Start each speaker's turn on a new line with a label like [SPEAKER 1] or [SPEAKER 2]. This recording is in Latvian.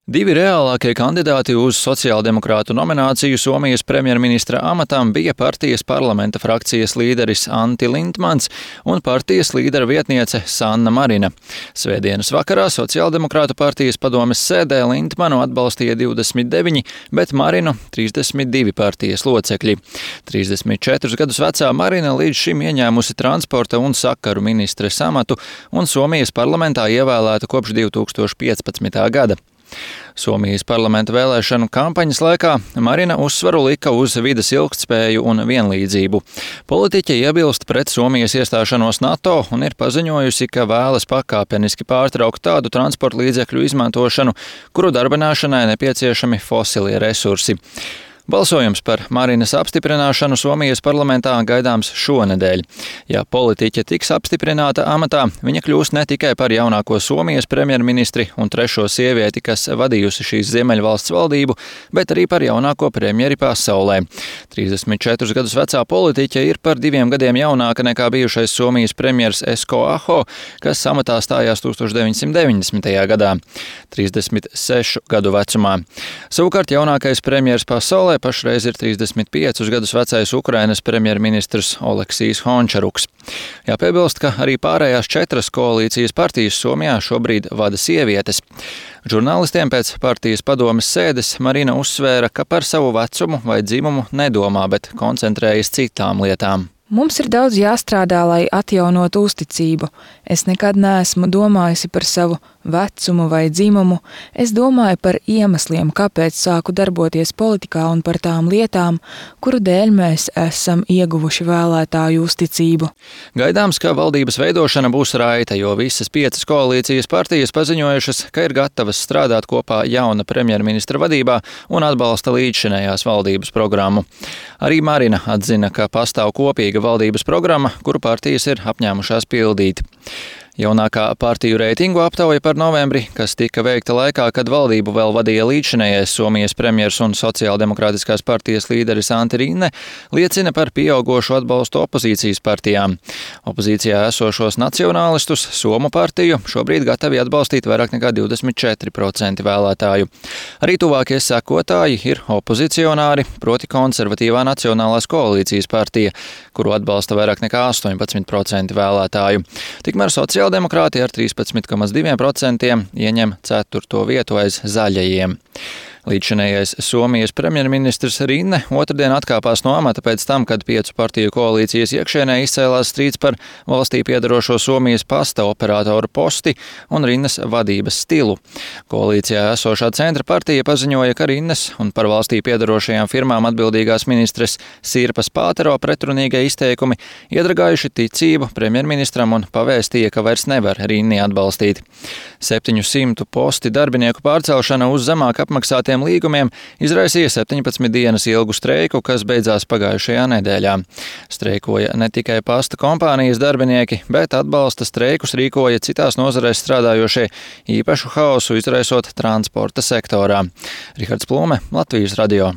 [SPEAKER 1] Divi reālākie kandidāti uz sociāldemokrātu nomināciju Somijas premjerministra amatam bija partijas parlamenta frakcijas līderis Antti Lindmans un partijas līdera vietniece Sanna Marina. Svētdienas vakarā sociāldemokrātu partijas padomes sēdē Lindmanu atbalstīja 29, bet Marinu 32 partijas locekļi. 34 gadus vecā Marina līdz šim ieņēmusi transporta un sakaru ministres amatu un Somijas parlamentā ievēlēta kopš 2015. gada. Somijas parlamenta vēlēšanu kampaņas laikā Marina uzsvaru lika uz vides ilgtspēju un vienlīdzību. Politiķe iebilst pret Somijas iestāšanos NATO un ir paziņojusi, ka vēlas pakāpeniski pārtraukt tādu transporta līdzekļu izmantošanu, kuru darbināšanai nepieciešami fosilie resursi. Balsojums par Marinas apstiprināšanu Somijas parlamentā gaidāms šonedēļ. Ja politiķe tiks apstiprināta amatā, viņa kļūs ne tikai par jaunāko Somijas premjerministri un trešo sievieti, kas vadījusi šīs Ziemeļvalsts valdību, bet arī par jaunāko premjeri pasaulē. 34 gadus vecā politiķe ir par 2 gadiem jaunāka nekā bijušais Somijas premjers Esko Aho, kas amatā stājās 1990. gadā, 36 gadu vecumā. Savukārt jaunākais premjers pasaulē pašreiz ir 35 gadus vecais Ukrainas premjerministrs Oleksijs Hončaruks. Jāpiebilst, ka arī pārējās 4 koalīcijas partijas Somijā šobrīd vada sievietes. Žurnālistiem pēc partijas padomes sēdes Marina uzsvēra, ka par savu vecumu vai dzimumu nedomā, bet koncentrējas citām lietām.
[SPEAKER 2] Mums ir daudz jāstrādā, lai atjaunotu uzticību. Es nekad neesmu domājusi par savu vecumu vai dzimumu. Es domāju par iemesliem, kāpēc sāku darboties politikā un par tām lietām, kuru dēļ mēs esam ieguvuši vēlētāju uzticību.
[SPEAKER 1] Gaidāms, ka valdības veidošana būs raita, jo visas 5 koalīcijas partijas paziņojušas, ka ir gatavas strādāt kopā jauna premjerministra vadībā un atbalsta līdzšinējās valdības programmu. Arī Marina atzina, ka pastāv kopīga valdības programma, kuru partijas ir apņēmušās pildīt. Jaunākā partiju reitingu aptauja par novembri, kas tika veikta laikā, kad valdību vēl vadīja līdzšinējais Somijas premjers un sociāldemokrātiskās partijas līderis Antti Rinne, liecina par pieaugošu atbalstu opozīcijas partijām. Opozīcijā esošos nacionālistus Somu partiju šobrīd gatavi atbalstīt vairāk nekā 24% vēlētāju. Arī tuvākie sekotāji ir opozicionāri, proti konservatīvā Nacionālās koalīcijas partija, kuru atbalsta vairāk nekā 18% vēlētāju. Tikmēr sociāldemokrāti ar 13,2% ieņem 4. vietu aiz zaļajiem. Līdzšinējais Somijas premjerministrs Rinne otrdien atkāpās no amata pēc tam, kad 5 partiju koalīcijas iekšienē izcēlās strīds par valstī piedarošo Somijas pasta operātoru posti un Rinnes vadības stilu. Koalīcijā esošā centra partija paziņoja, ka Rinnes un par valstī piedarošajām firmām atbildīgās ministres Sirpas Pātero pretrunīgie izteikumi iedragājuši ticību premjerministram un pavēstīja, ka vairs nevar Rinni atbalstīt. 700 posti darbinieku pārcelšana uz zemāk apmaksātiem līgumiem izraisīja 17 dienas ilgu streiku, kas beidzās pagājušajā nedēļā. Streikoja ne tikai pasta kompānijas darbinieki, bet atbalsta streikus rīkoja citās nozarēs strādājošie, īpašu haosu izraisot transporta sektorā. Rihards Plūme, Latvijas radio.